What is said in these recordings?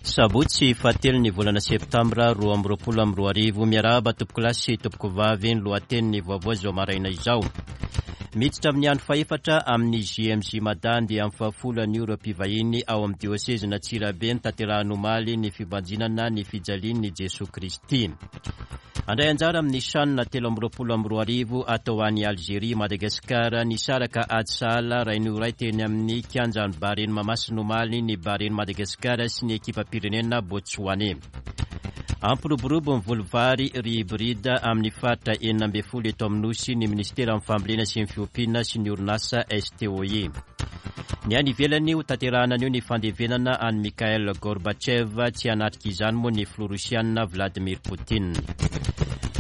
Sabotsy fahatelo ny volana septambra 2022. Miarahaba tompokolahy sy tompokovavy ny lohatenin'ny vaovao izao maraina izao. Miditra amin'ny andro fahefatra amin'ny JMJ Mada andiany fahafolo anio ireo mpivahiny ao amin'ny diosezin'Antsirabe notanterahina omaly ny fibanjinana ny fijalian'i Jesoa Kristy. Handray anjara amin'ny Chan 2023 atao any Algerie, Madagasikara. Nisaraka ady sahala iray noho iray teny amin'ny kianjan'ny Bahrain Mahamasina omaly ny Bahrain Madagasikara sy ny ekipam-pirenena Botsoane. Hampiroborobo ny voly vary riz hybride amin'ny faritra 16 eto amin'ny Nosy ny minisiteran'ny Fambolena sy ny Fiompiana sy ny orinasa STOI. Ny any ivelany, hotanterahina anio ny fandevenana an'i Mikhail Gorbatchev, tsy hanatrika izany moa ny filoha rosiana Vladimir Poutine.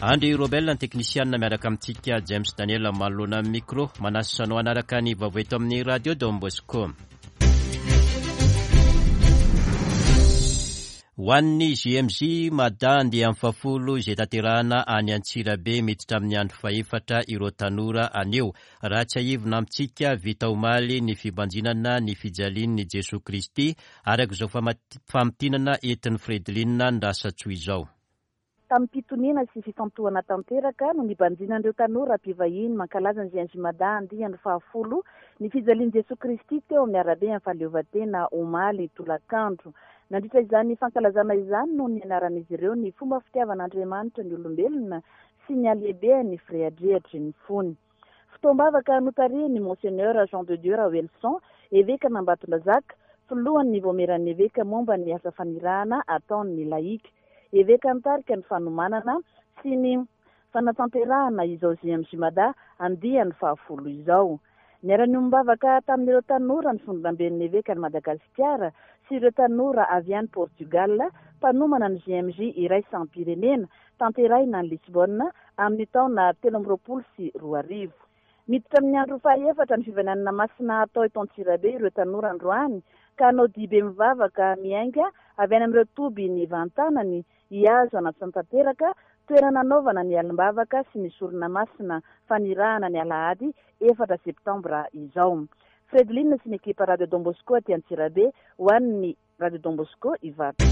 Andry Robel ny teknisianina miaraka amintsika James Daniel manoloana ny micro. Manasa anao hanaraka ny vaovao eto amin'ny Radio Don Bosco. Ho an'ny JMJ Mada andiany fahafolo izay tanterahana any Antsirabe miditra amin'ny andro fahefatra ireo tanora anio. Raha tsiahivina amintsika, vita omaly ny fibanjinana ny fijalian'i Jesoa Kristy, araka izao famintinana entin'i Fredeline Ndrasatsoa izao. Tamim-pitoniana sy fifantohana tanteraka no nibanjinan'ireo tanora mpivahiny mankalaza ny JMJ Mada andiany fahafolo ny fijalian'i Jesoa Kristy teo amin'ny arabe Fahaleovantena omaly tolakandro. Nandritra izany fankalazana izany no nianaran'izy ireo ny fomba fitiavan'Andriamanitra ny olombelona sy ny halehibehan'ny firehadrehatry ny fony. Fotoam-bavaka notarihin'ny Monseigneur Jean de Dieu Raoelison, evekan'Ambatondrazaka, filohan'ny Vaomieran'ny Eveka momba ny asa fanirahana ataon'ny lahika. Eveka nitarika ny fanomanana sy ny fanatanterahana izao JMJ Mada andiany fahafolo izao. Niara-niombom-bavaka tamin'ireo tanora ny Fondronamben'ny Evekan'i Madagasikara sy ireo tanora avy any Portugal mpanomana ny JMJ iraisam-pirenena tanterahina any Lisbonne amin'ny taona 2023. Miditra amin'ny andro fahaefatra ny fivananana masina hatao eto Antsirabe ireo tanora androany ka hanao dihibe mivavaka miainga avy any amin'ireo toby nivantanany hihazo an'Antsantanteraka, toerana hanaovana ny alim-bavaka sy ny sorona masina fanirahana ny alahady efatra septambra izao. Fredeline sy ny ekipa Radio Don Bosco aty Antsirabe ho an'ny Radio Don Bosco Ivato.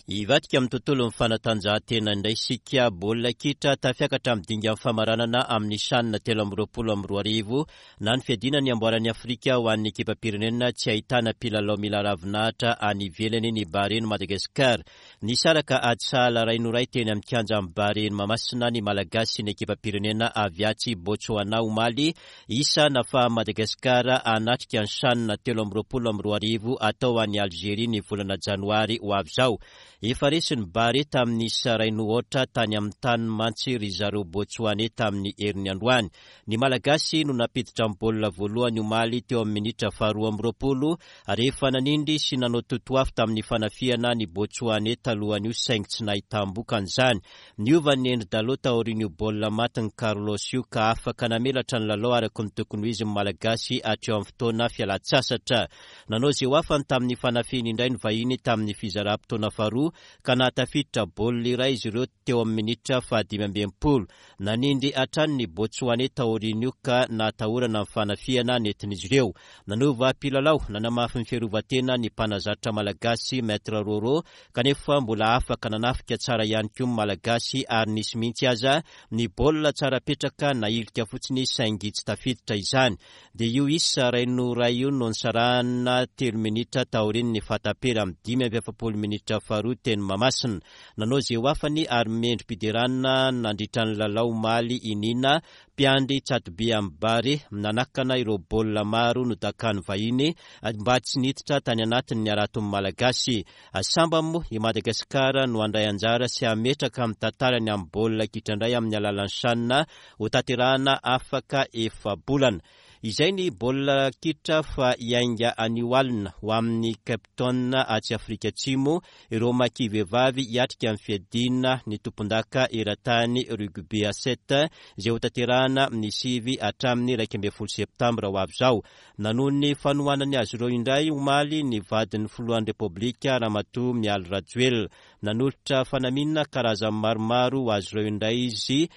Hivadika amin'ny tontolon'ny fanatanjahantena indray isika. Baolina kitra tafiakatra amin'ny dingan'ny famaranana amin'ny Chan 2023 na ny fiadiana ny amboaran'i Afrika ho an'ny ekipam-pirenena tsy ahitana mpilalao mila ravinahitra any ivelany ny Bahrain Madagascar. Nisaraka ady sahala iray no iray teny amin'ny kianjan'i Barea Mahamasina ny Malagasy sy ny ekipam-pirenena avy atsy Botsoana omaly, isa nafahan'i Madagasikara hanatrika ny Chan 2023 atao any Algerie ny volana janoary ho avy izao. Efa resin'ny Barea tamin'ny isa iray no aotra tany amin'ny taniny mantsy ry zareo Botsoaney tamin'ny heriny androany. Ny Malagasy no nampiditra ny baolina voalohany omaly teo amin'ny minitra faharoa amby roapolo rehefa nanindry sy nanao totoafo tamin'ny fanafihana ny Botsoaney talohan'io saingy tsy nahitam-bokany izany. Niova ny endri-dalao taorian'io baolina matin'i Carlos io ka afaka namelatra ny lalao araka ny tokony ho izy ny Malagasy hatreo amin'ny fotoana fialan-tsasatra. Nanao izay ho afany tamin'ny fanafihany indray ny vahiny tamin'ny fizaram-potoana faharoa ka nahatafiditra baolina iray izy ireo teo amin'ny minitra faha-65. Nanindry hatrany ny Botsoaney taorian'io ka nahatahorana ny fanafihana nentin'izy ireo. Nanova mpilalao, nanamafy ny fiarovan-tena ny mpanazatra malagasy Maître Roro kanefa mbola afaka nanafika tsara ihany koa ny Malagasy ary nisy mihitsy aza ny baolina tsara petraka nahilika fotsiny saingy tsy tafiditra izany. Dia io isa iray noho iray io no nisarahana telo minitra taorian'ny fahataperan'ny 45 minitra faharoa teny Mahamasina. Nanao izay ho afany ary mendri-piderana nandritra ny lalao omaly i Nina, mpiandry tsatoby amin'ny Barea, nanakana ireo baolina maro nodakan'ny vahiny mba tsy niditra tany anatin'ny haraton'ny Malagasy. Sambany moa i Madagasikara no handray anjara sy hametraka ny tantarany amin'ny baolina kitra indray amin'ny alalan'ny Chan hotanterahina afaka efa-bolana. Izay ny baolina kitra fa hiainga anio alina ho amin'ny Cape Town atsy Afrika Atsimo ireo Maki vehivavy hiatrika ny fiadiana ny tompondaka eran-tany rugby à sept izay hotanterahina ny 9 hatramin'ny 11 septambra ho avy izao. Nanohy ny fanohanany azy ireo indray omaly ny vadin'ny filohan'ny Repoblika Ramatoa Mialy Rajoelina. Nanolotra fanamiana karazany maromaro ho azy ireo indray izy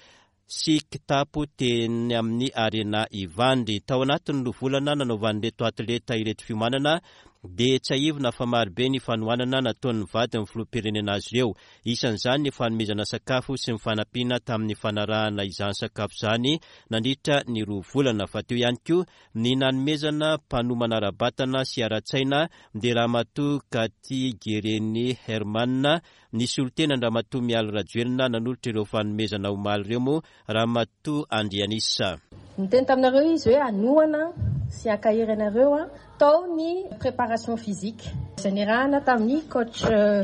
sy kitapo teny amin'ny Arena Ivandry. Tao anatin'ny roa volana nanaovan'ireto atleta ireto fiomanana dia tsiahivina fa marobe ny fanohanana nataon'ny vadin'ny filoham-pirenena azy ireo. Isan'izany ny fanomezana sakafo sy ny fanampiana tamin'ny fanarahana izany sakafo izany nandritra ny roa volana. Fa teo ihany koa ny nanomezana mpanomana ara-batana sy ara-tsaina dia Ramatoa Cathy Guereni Herman, nisolo tena an-dRamatoa Mialy Rajoelina nanolotra ireo fanomezana omaly ireo moa Ramatoa Andrianisa. Niteny taminareo izy hoe hanohana sy hankahery anareo tao ny préparation physique izay niarahana tamin'ny coach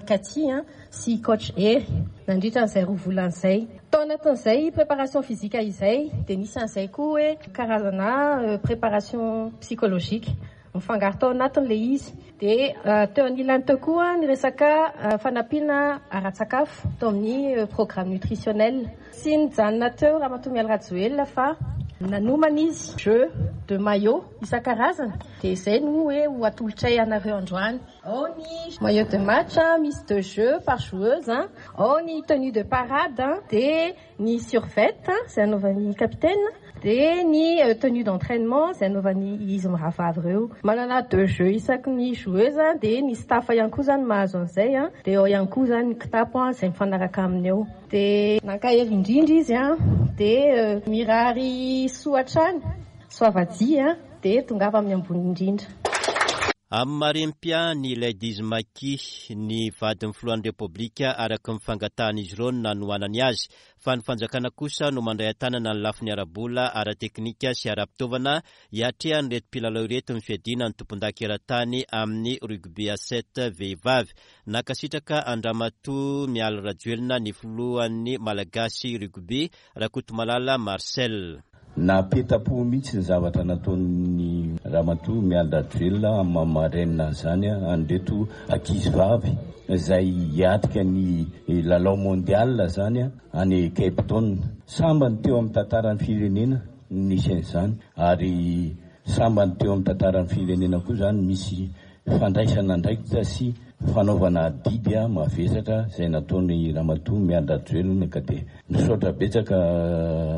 Cathy sy coach Hery nandritra an'izay roa volana izay. Tao anatin'izay préparation physique izay dia nisy an'izay koa hoe karazana préparation psychologique. Mifangaro tao anatiny ilay izy. Dia teo anilany teo koa ny resaka fanampiana ara-tsakafo tao amin'ny programme nutritionnel. Tsy nijanona teo Ramatoa Mialy Rajoelina fa nanomana izy jeu de maillot isan-karazany. Dia izay no hoe ho atolotray anareo androany. Ao ny maillot de match, misy deux jeux par joueuse, ao ny tenue de parade, dia ny survêt izay anaovan'ny capitaine dia ny tenue d'entrainement izay anaovan'ny izy mirahavavy ireo. Manana deux jeux isaky ny joueuse dia ny staff ihany koa izany mahazo an'izay dia ao ihany koa izany ny kitapo izay mifanaraka aminy eo. Dia nankahery indrindra izy dia mirary soa hatrany, soavadia dia tongava amin'ny ambony indrindra. Amin'ny marem-piahy ny Ladies Maki, ny vadin'ny filohan'ny Repoblika araka ny fangatahan'izy ireo no nanohanany azy, fa ny fanjakana kosa no mandray an-tanana ny lafiny ara-bola, ara-teknika sy ara-pitaovana hiatrehan'ireto mpilalao ireto ny fiadiana ny tompondaka eran-tany amin'ny rugby à sept vehivavy. Nankasitraka an-dRamatoa Mialy Rajoelina ny filohan'ny Malagasy Rugby, Rakotomalala Marcel. Napeta-po mihitsy ny zavatra nataon'ny Ramatoa Mialy Rajoelina amin'ny maha marraine an'izany an'ireto ankizy vavy izay hiatrika ny lalao mondial izany any Cape Town. Sambany teo amin'ny tantaran'ny firenena no nisy an'izany ary sambany teo amin'ny tantaran'ny firenena koa izany misy Fandraisana andraikitra sy fanaovana adidy mavesatra izay nataon'i Ramatoa Mialy Rajoelina ka dia misaotra betsaka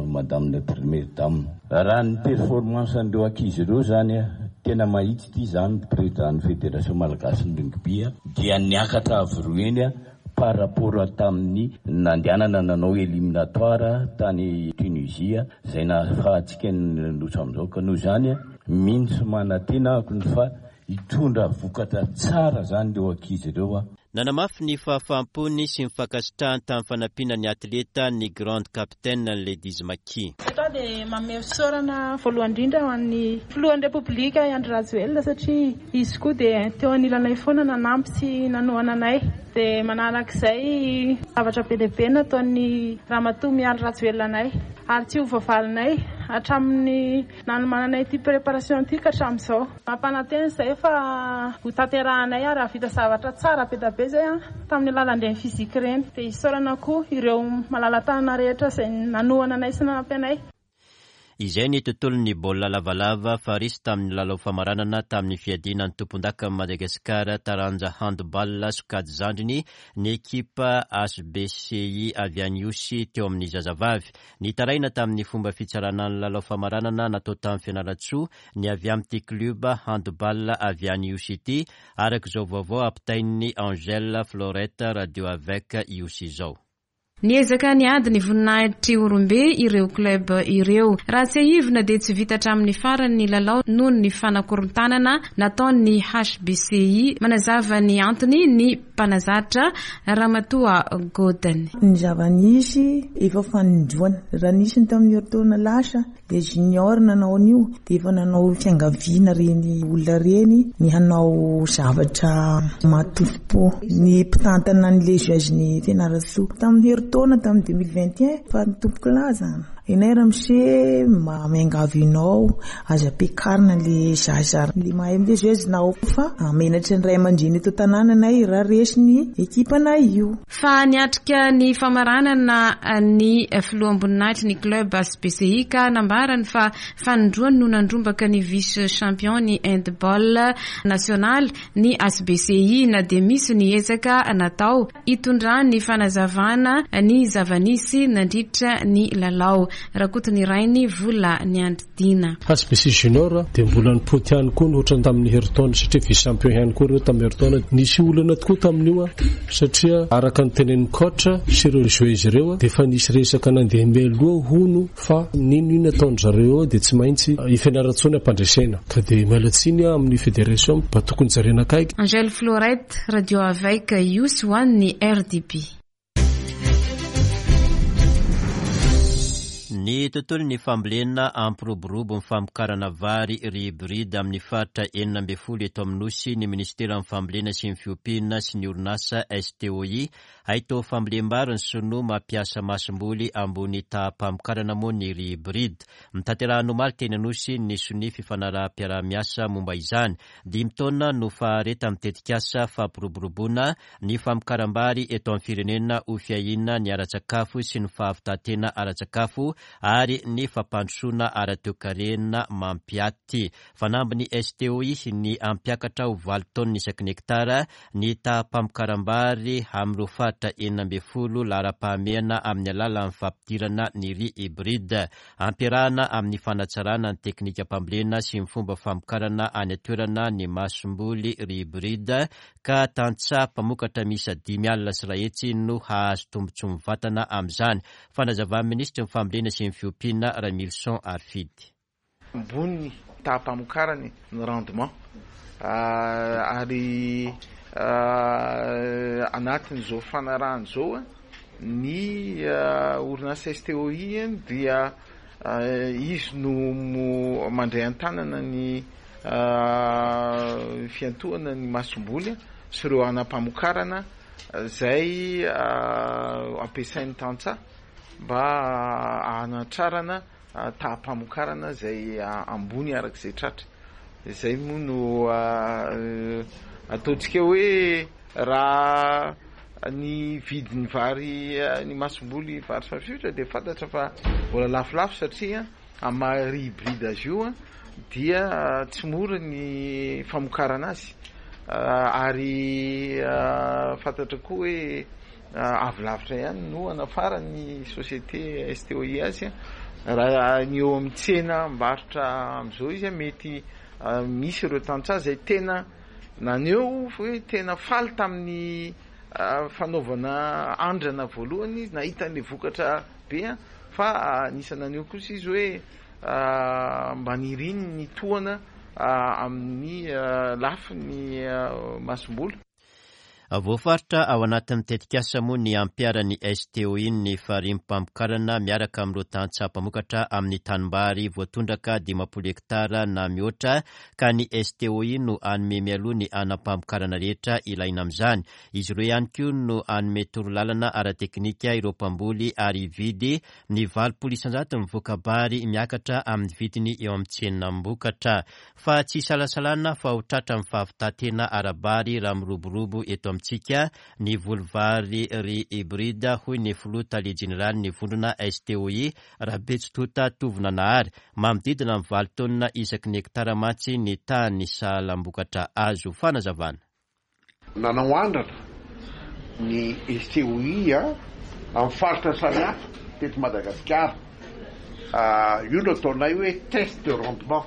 Madame la Première Dame. Raha ny performance an'ireo ankizy ireo izany tena mahitsy ity izany Président ny Fédération Malagasin'ny Rugby dia niakatra avo roa heny par rapport tamin'ny nandehanana nanao éliminatoire tany Tunisie izay nahafahantsika niroso amin'izao ka noho izany mino sy manantena aho fa Hitondra vokatra tsara zany ireo ankizy ireo a. Nanamafy ny fahafahampony sy ny fankasitrahany tamin'ny fanampiana ny atleta ny Grande Capitaine ny Ladies Maki. Eto aho dia manome fisaorana voalohany indrindra ho an'ny Filohan'ny Repoblika Andry Rajoelina satria izy koa dia teo anilanay foana nanampy sy nanohana anay. Dia manarak'izay zavatra be dia be nataon'ny Ramatoa Mialy Rajoelina anay ary tsy ho voavalinay hatramin'ny Nanomananay ity préparation ity ka hatramin'izao. Mampanantena izahay fa ho tanterahanay ary hahavita zavatra tsara be dia be izay tamin'ny alalan'ireny physique ireny. Dia isaorana koa ireo malala-tanana rehetra izay nanohana anay sy nanampy anay. Izay ny tontolon'ny baolina lavalava fa resy tamin'ny lalao famaranana tamin'ny fiadiana ny tompondakan'i Madagasikara taranja handball sokajy zandriny ny ekipa HBCI avy any Ihosy teo amin'ny zazavavy. Nitaraina tamin'ny fomba fitsarana ny lalao famaranana natao tany Fianarantsoa ny avy amin'ity club handball avy any Ihosy ity, araka izao vaovao ampitain'i Angèle Florette Radio Avec Ihosy izao. Niezaka niady ny voninahitr'i Ihorombe ireo club ireo. Raha tsiahivina dia tsy vita hatramin'ny farany ny lalao noho ny fanakorontanana nataon'ny HBCI. Manazava ny antony ny mpanazatra Ramatoa Godin. Ny zava-nisy efa fanindroany. Raha nisy ny tamin'ny herintaona lasa dia junior nanao an'io dia efa nanao fiangaviana ireny olona ireny ny hanao zavatra mahatompo ny mpitantana ny legion-n'i Fianarantsoa. Tamin'ny herintaona tamin'ny 2021 fa ny tompoko lahy izany. Ianay ramose mba miangavy anao Aza ampiakarina le zaza le mahay mivezivezy na ao fa menatry ny ray aman-dreny eto an-tanàna anay raha resy ny ekipanay io. Fa niatrika ny famaranana ny filoham-boninahitry ny club HBCI ka nambarany fa fanindroany no nandrombaka ny vice champion ny handball nasionaly ny HBCI na dia misy ny ezaka natao hitondrany fanazavana ny zava-nisy nandritra ny lalao. Rakotonirainy Vola Niandridiana. HBC Junior dia mbola nipoty ihany koa ny ohatran'ny tamin'ny herintaona satria vice champion ihany koa ireo tamin'ny herintaona. Nisy olana tokoa tamin'io satria araka ny tenenin'ny coach sy ireo joueurs ireo dia efa nisy resaka nandeha mialoha hono fa n'inon'inona ataon-dry zareo eo dia tsy maintsy i Fianarantsoa ny ampandresena. Ka dia miala tsiny aho amin'ny fédération mba tokony jerena akaiky. Angèle Florette, Radio Avec Ihosy ho an'ny RDB. Ny tontolon'ny fambolena hampiroborobo ny famokarana vary riz hybride amin'ny faritra 16 eto amin'ny Nosy ny Minisiteran'ny Fambolena sy ny Fiompiana sy ny orinasa STOI. Haitao fambolem-bary ny sinoa mampiasa masomboly ambony taham-pamokarana moa ny riz hybride. Notanterahina omaly teny Anosy ny sonia fifanaraham-piaraha-miasa momba izany. Dimy taona no faharetan'ny tetikasa fampiroboroboana ny famokaram-bary eto amin'ny firenena ho fiahiana ny ara-tsakafo sy ny fahavitantena ara-tsakafo ary ny fampandrosoana ara-toekarena mampiaty. Fanambin'ny STOI ny hampiakatra ho valo taonina isaky ny hektara ny taham-pamokaram-bary amin'ireo faritra 16 laharam-pahamehana amin'ny alalan'ny fampidirana ny riz hybride. Ampiarahana amin'ny fanatsarana ny teknikam-pambolena sy ny fomba famokarana any an-toerana ny masomboly riz hybride ka tantsaha mpamokatra miisa 550 no hahazo tombontsoa mivantana amin'izany. Fanazavan'ny minisitry ny Fambolena sy ny Fiompiana, Ramilison Harifidy. Ambony ny taham-pamokarany, ny rendement, ary anatin'izao fanarahana izao ny orinasa STOI dia izy no mandray an-tanana ny fiantohana ny masomboly sy ireo hanam-pamokarana izay ampiasain'ny tantsaha mba hanatrarana taham-pamokarana izay ambony araka izay tratra. Izay moa no ataontsika hoe raha ny vidin'ny vary ny masomboly vary safiotra dia fantatra fa mbola lafolafo satria amin'ny maha riz hybride azy io dia tsy mora ny famokarana azy ary fantatra koa hoe Avy lavitra ihany no anafaran'ny société STOI azy. Raha ny eo amin'ny tsena mbarotra amin'izao izy mety misy ireo tantsaha izay tena naneho hoe tena faly tamin'ny fanaovana andrana voalohany izy nahita an'ilay vokatra be fa anisan'ny naneho kosa izy hoe mba niriny ny tohana amin'ny lafiny masomboly. Voafaritra ao anatin'ny tetikasa moa ny hampiharan'ny STOI ny farimbom-pamokarana miaraka amin'ireo tantsaha mpamokatra amin'ny tanimbary voatondraka 50 hektara na mihoatra ka ny STOI no hanome mialoha ny hanam-pamokarana rehetra ilaina amin'izany. Izy ireo ihany koa no hanome torolalana ara-teknika ireo mpamboly ary hividy ny 80% ny voka-bary miakatra amin'ny vidiny eo amin'ny tsenam-bokatra. Fa tsy isalasalana fa ho tratra ny fahavitantena ara-bary raha miroborobo eto amintsika ny voly vary riz hybride, hoy ny filoha tale jeneralin'ny vondrona STOI, Rabetsitota Tovonanahary. Manodidina ny valo taonina isaky ny hektara mantsy ny tahan'ny sahalam-bokatra azo. Fanazavana. Nanao andrana ny STOI amin'ny faritra samihafa teto Madagasikara. Io no ataonay hoe test de rendement,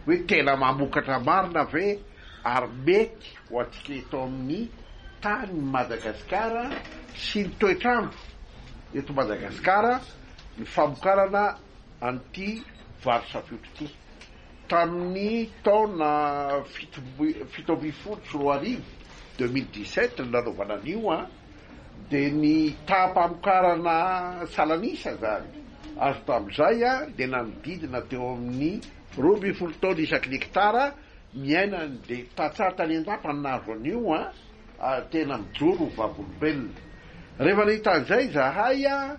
hoe tena mamokatra marina ve ary mety ho antsika eto amin'ny tanin'i Madagasikara sy ny toetr'andro eto Madagasikara ny famokarana an'ity vary safiotra ity. Tamin'ny taona 2017, 2017, no nanaovana an'io an, dia ny taham-pamokarana salanisa izany azo tamin'izay an, dia nanodidina teo amin'ny 12 taona isaky ny hektara miaina ny dia tantsaha tany an-dapa no nahazo an'io an, ary tena mijoro ho vavolombelona. Rehefa nahita an'izay izahay an,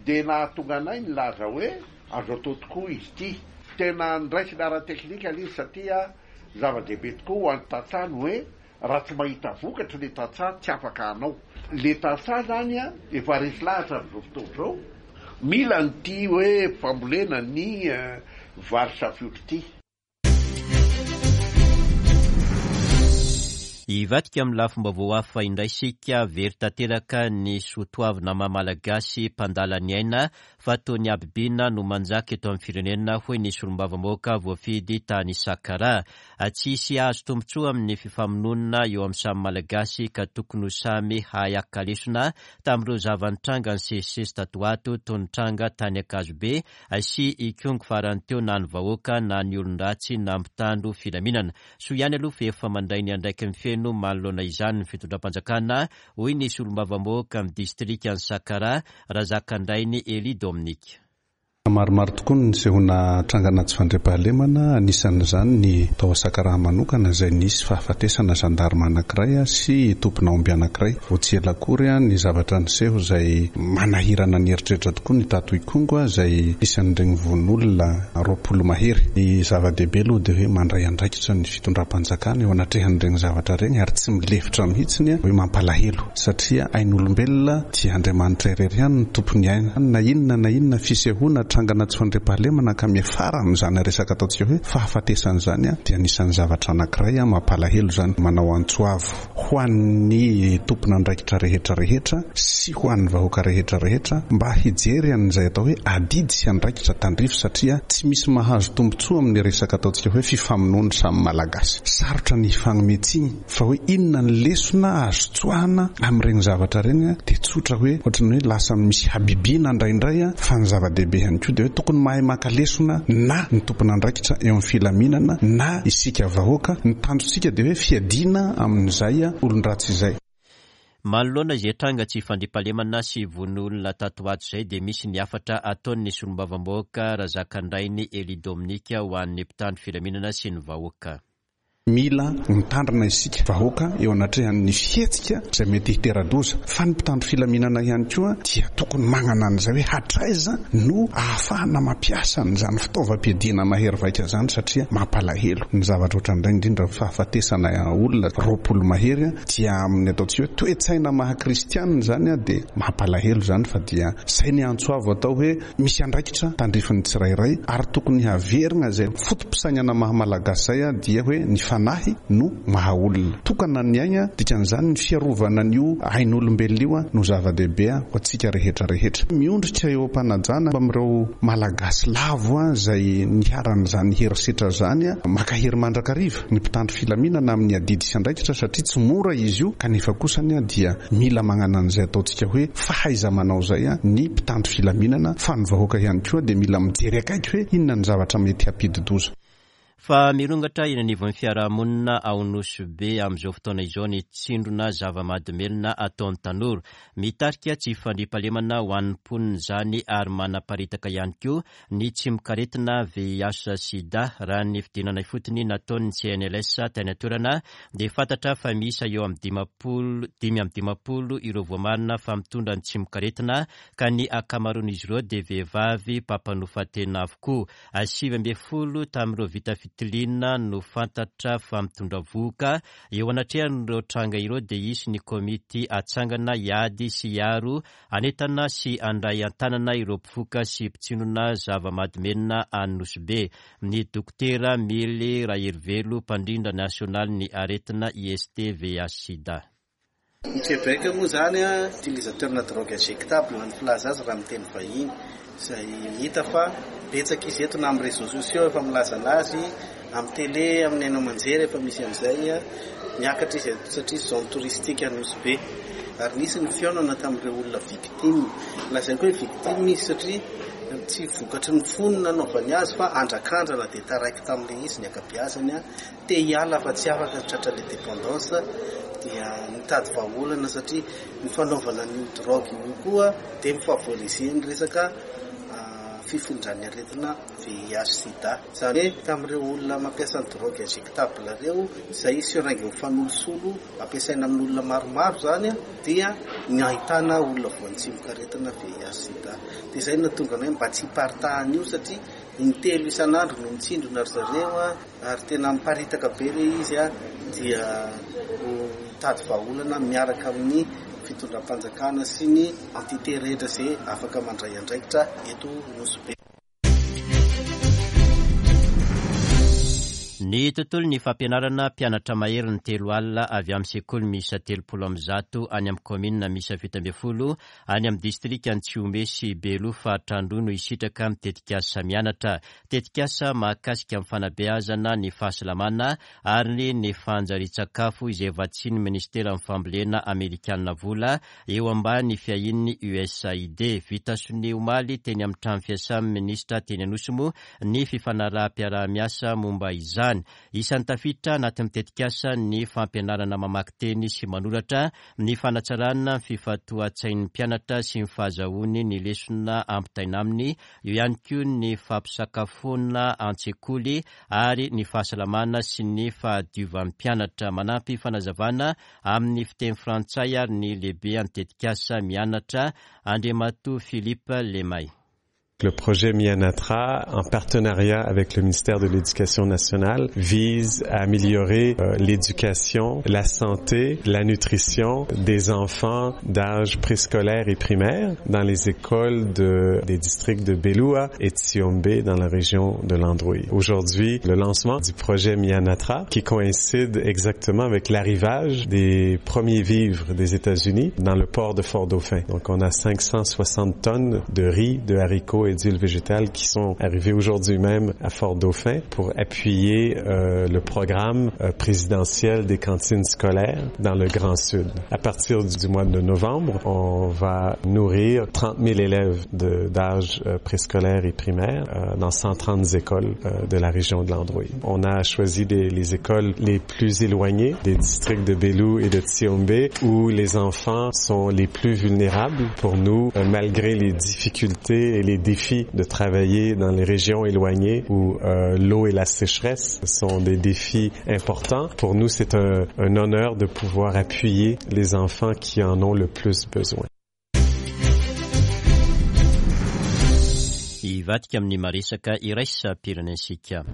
dia nahatonga anay nilaza hoe, Azo atao tokoa izy ity. Tena noraisina ara-teknika ilay izy satria zava-dehibe tokoa ho an'ny tantsaha ny hoe raha tsy mahita vokatra ilay tantsaha tsy afaka hanao. Ilay tantsaha izany efa resy lahatra amin'izao fotoana izao mila an'ity hoe fambolena ny vary safiotra ity. Hivadika amin'ny lafim-baovao hafa indray isika, very tanteraka ny soatoavina maha Malagasy mpandala ny aina fa toa ny habibiana no manjaka eto amin'ny firenena hoy ny solombavambahoaka voafidy tany Sakaraha. Tsy hisy hahazo tombontsoa amin'ny fifamonoana eo amin'ny samy Malagasy ka tokony ho samy hahay haka lesona tamin'ireo zava-nitranga nisesisesy tato ho ato toy ny tranga tany Ankazobe sy Ikongo farany teo na ny vahoaka na ny olon-dratsy na mpitandro filaminana. Soa ihany aloha fa efa mandray ny andraikiny feno manoloana izany ny fitondram-panjakana, hoy ny solombavambahoaka amin'ny distrikan'i Sakaraha, Razakandrainy Elie Dominique. Maromaro tokoa ny nisehoana trangana tsy fandriampahalemana, anisan'izany ny tao Sakaraha manokana izay nisy fahafatesana zandarma anankiray sy tompona omby anankiray. Vao tsy ela akory ny zavatra niseho izay manahirana ny eritreritra tokoa ny tato Ikongo izay isan'ireny vono olona 20 mahery. Ny zava-dehibe aloha dia hoe mandray andraikitra ny fitondram-panjakana eo anatrehan'ireny zavatra ireny ary tsy milefitra mihitsy hoe mampalahelo satria ain'olombelona dia Andriamanitra irery ihany no tompon'ny aina. Na inona na inona fisehoana trangana tsy fandriampahalemana ka miafara amin'izany resaka ataontsika hoe fahafatesana izany dia anisan'ny zavatra anankiray mampalahelo izany. Manao antso avo. ho an'ny tompon'andraikitra rehetra rehetra sy ho an'ny vahoaka rehetra rehetra mba hijery an'izay atao hoe adidy sy andraikitra tandrify satria tsy misy mahazo tombontsoa amin'ny resaka ataontsika hoe fifamonoan'ny samy Malagasy. Sarotra ny hifagnome tsiny fa hoe inona ny lesona azo tsoahana amin'ireny zavatra ireny dia tsotra hoe ohatran'ny hoe lasa misy habibiana indraindray fa ny zava-dehibe ihany koa dia hoe tokony mahay maka lesona na ny tompon'andraikitra eo amin'ny filaminana na isika vahoaka, ny tanjontsika dia hoe fiadiana amin'izay olon-dratsy izay. Manoloana izay tranga tsy fandriampahalemana sy vono olona tato ho ato izay dia misy ny hafatra ataon'ny solombavambahoaka Razakandrainy Elie Dominique ho an'ny mpitandro filaminana sy ny vahoaka. Mila mitandrina isika vahoaka eo anatrehan'ny fihetsika izay mety hitera-doza fa ny mpitandro filaminana ihany koa dia tokony mañana an'izay hoe hatraiza no ahafahana mampiasa an'izany fitaovam-piadiana mahery vaika izany satria mampalahelo ny zavatra ohatran'ireny indrindra fahafatesana olona 20 mahery dia amin'ny ataontsika hoe toe-tsaina maha kristianina izany dia mampalahelo izany fa dia izay ny antso avo atao hoe Misy andraikitra tandrifin'ny tsirairay ary tokony haverina izay foto-pisainana maha Malagasy izay dia hoe ny fanahy no maha olona. Tokana ny aigna, dikan'izany ny fiarovana an'io ain'olombelona io no zava-dehibe ho antsika rehetra rehetra. Miondrika eo am-panajana amin'ireo Malagasy lavo izay niharan'izany herisetra izany, mankahery mandrakariva ny mpitandro filaminana amin'ny adidy sy andraikitra satria tsy mora izy io kanefa kosany dia mila mañana an'izay ataontsika hoe fahaiza-manao izay ny mpitandro filaminana fa ny vahoaka ihany koa dia mila mijery akaiky hoe inona ny zavatra mety hampidi-doza. Fa mirongatra eny anivon'ny fiarahamonina ao Nosy Be amin'izao fotoana izao ny tsindrona zava-mahadomelina ataon'ny tanora. Mitarika tsy fandriampahalemana ho an'ny mponina izany ary manaparitaka ihany koa ny tsimokaretina VIH sida. Raha ny fidinana ifotony nataon'ny CNLS tany an-toerana dia fantatra fa miisa eo amin'ny 50, 55 ireo voamarina fa mitondra ny tsimokaretina ka ny ankamaroan'izy ireo dia vehivavy mpampanofa tena avokoa. 19 tamin'ireo vita fitiliana no fantatra fa mitondra vohoka. Eo anatrehan'ireo tranga ireo dia hisy ny komity hatsangana hiady sy hiaro Hanentana sy handray an-tanana ireo mpifoka sy mpitsinona zava-mahadomelina any Nosy Be, ny Dokotera Mily Raherivelo, mpandrindra nasionalin'ny aretina IST VIH-Sida. Ny Québec moa izany utilisateur-na drogue injectable ny filaza azy raha amin'ny teny vahiny, izay hita fa betsaka izy eto na amin'ny réseaux sociaux efa milaza an'azy, amin'ny télé, amin'ny haino aman-jery efa misy an'izay, miakatra izy eto satria zone touristique Nosy Be. Ary nisy ny fihaonana tamin'ireo olona victime. Lazaiko hoe victime izy satria tsy vokatry ny fony nanaovany azy fa andrakandrana dia taraiky tamin'ilay izy ny ankabeazany, te hiala fa tsy afaka tratra ilay dépendance dia nitady vahaolana satria ny fanaovana an'io drogue io koa dia mi-favoriser ny resaka fifindran'ny aretina VIH sida. Izany hoe tamin'ireo olona mampiasa ny drogue injectable ireo izay seringue mifanolosolo ampiasaina amin'olona maromaro izany dia ny ahitana olona voan'ny tsimokaretina VIH sida. Dia izay no nahatonga anay mba tsy hiparitahan'io satria intelo isan'andro no mitsindrona ry zareo ary tena miparitaka be ilay izy dia ho hitady vahaolana miaraka amin'ny fitondram-panjakana sy ny entité rehetra izay afaka mandray andraikitra eto Nosy Be. Ny tontolon'ny fampianarana, mpianatra maherin'ny 30 avy amin'ny sekoly miisa 130 any amin'ny kaominina miisa 17 any amin'ny distrikan'i Tsihombe sy Beloha faritra Androy no hisitraka ny tetikasa Mianatra. Tetikasa mahakasika ny fanabeazana, ny fahasalamana ary ny fanjarian-tsakafo izay vatsian'ny minisiteran'ny fambolena amerikana vola eo ambany fiahian'ny USAID. Vita sonia omaly teny amin'ny trano fiasan'ny minisitra teny Anosy moa ny fifanaraham-piaraha-miasa momba izany. Isan'ny tafiditra anatin'ny tetikasa ny fampianarana mamaky teny sy manoratra, ny fanatsarana ny fifantohan-tsain'ny mpianatra sy ny fahazahoany ny lesona ampitaina aminy, eo ihany koa ny fampisakafoana an-tsekoly ary ny fahasalamana sy ny fahadiovan'ny mpianatra. Manampy fanazavana amin'ny fiteny frantsay ary ny lehibean'ny tetikasa mianatra, Andriamatoa Philippe Lemay. Le projet Mianatra, en partenariat avec le ministère de l'Éducation nationale, vise à améliorer euh, l'éducation, la santé, la nutrition des enfants d'âge préscolaire et primaire dans les écoles de, des districts de Beloua et Tsiombe dans la région de l'Androui. Aujourd'hui, le lancement du projet Mianatra qui coïncide exactement avec l'arrivage des premiers vivres des États-Unis dans le port de Fort-Dauphin. Donc on a 560 tonnes de riz, de haricots et d'huile végétale qui sont arrivés aujourd'hui même à Fort-Dauphin pour appuyer euh, le programme euh, présidentiel des cantines scolaires dans le Grand Sud. À partir du mois de novembre, on va nourrir 30 000 élèves d'âge euh, préscolaire et primaire dans 130 écoles de la région de l'Androï. On a choisi les écoles les plus éloignées des districts de Belou et de Tsiombe où les enfants sont les plus vulnérables pour nous, malgré les difficultés et les défis de travailler dans les régions éloignées où euh, l'eau et la sécheresse sont des défis importants. Pour nous, c'est un, un honneur de pouvoir appuyer les enfants qui en ont le plus besoin. Hivadika amin'ny maresaka iraisam-pirenentsika.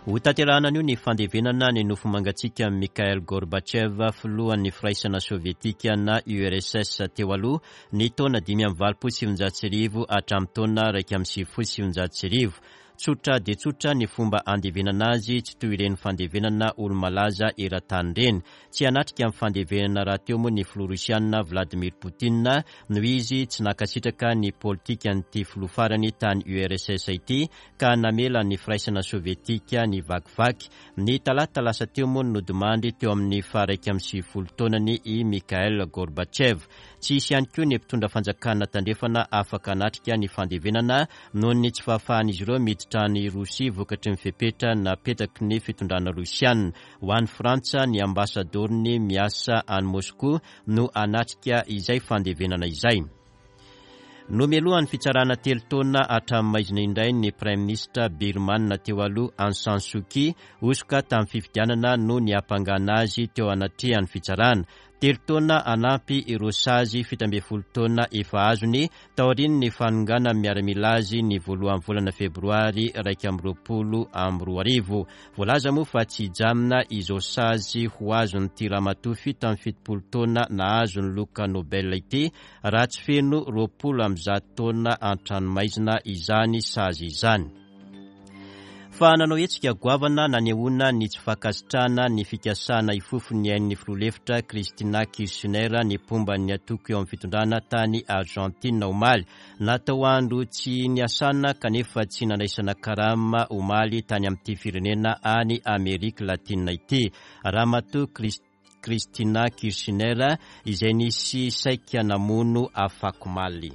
Ho tanterahana anio ny fandevenana ny nofo mangatsiakan'i Mikhail Gorbatchev, filohan'ny Firaisana Sovietika na URSS teo aloha, ny taona 1985 hatramin'ny taona 1991. Tsotra dia tsotra ny fomba andevenana azy, tsy toy ireny fandevenana olo-malaza eran-tany ireny. Tsy hanatrika ny fandevenana rahateo moa ny filoha rosiana Vladimir Poutine noho izy tsy nankasitraka ny politikan'ity filoha farany tany URSS ity ka namela ny firaisana sovietika nivakivaky. Ny talata lasa teo moa no nodimandry teo amin'ny faha-91 taonany i Mikhail Gorbatchev. Tsy hisy ihany koa ny mpitondra fanjakana tandrefana afaka hanatrika ny fandevenana noho ny tsy fahafahan'izy ireo miditra any Rosia vokatry ny fepetra napetraky ny fitondrana rosiana. Ho an'i Frantsa, ny ambasadaorony miasa any Moscou no hanatrika izay fandevenana izay. Nomelohan'ny fitsarana telo taona hatramin'ny maizina indray ny praiminisitra Birmana teo aloha Aung San Suu Kyi, hosoka tamin'ny fifidianana no niampangana azy teo anatrehan'ny fitsarana. Telo taona hanampy ireo sazy 17 taona efa azony taorian'ny fanonganan'ny miaramila azy ny voalohan'ny volana febroary 2021. Voalaza moa fa tsy hijanona izao sazy ho azon'ity ramatoa 77 taona nahazo ny loka Nobel ity raha tsy feno 120 taona an-tranomaizina izany sazy izany. Fa nanao hetsika goavana nanehoana ny tsy fankasitrahana ny fikasana hifofo ny ain'ny filoha lefitra Cristina Kirchner ny mpomba ny antoko eo amin'ny fitondrana tany Argentine omaly. Natao andro tsy niasana kanefa tsy nandraisana karama omaly tany amin'ity firenena any Amerika Latina ity. Ramatoa Cristina Kirchner izay nisy saika namono afakomaly.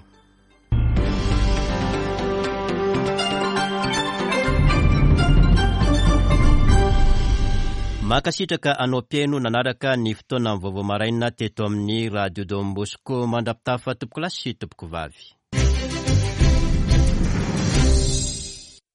Mankasitraka anao mpihaino nanaraka ny fotoanan'ny vaovao maraina teto amin'ny Radio Don Bosco. Mandra-pitafa tompokolahy sy tompokovavy.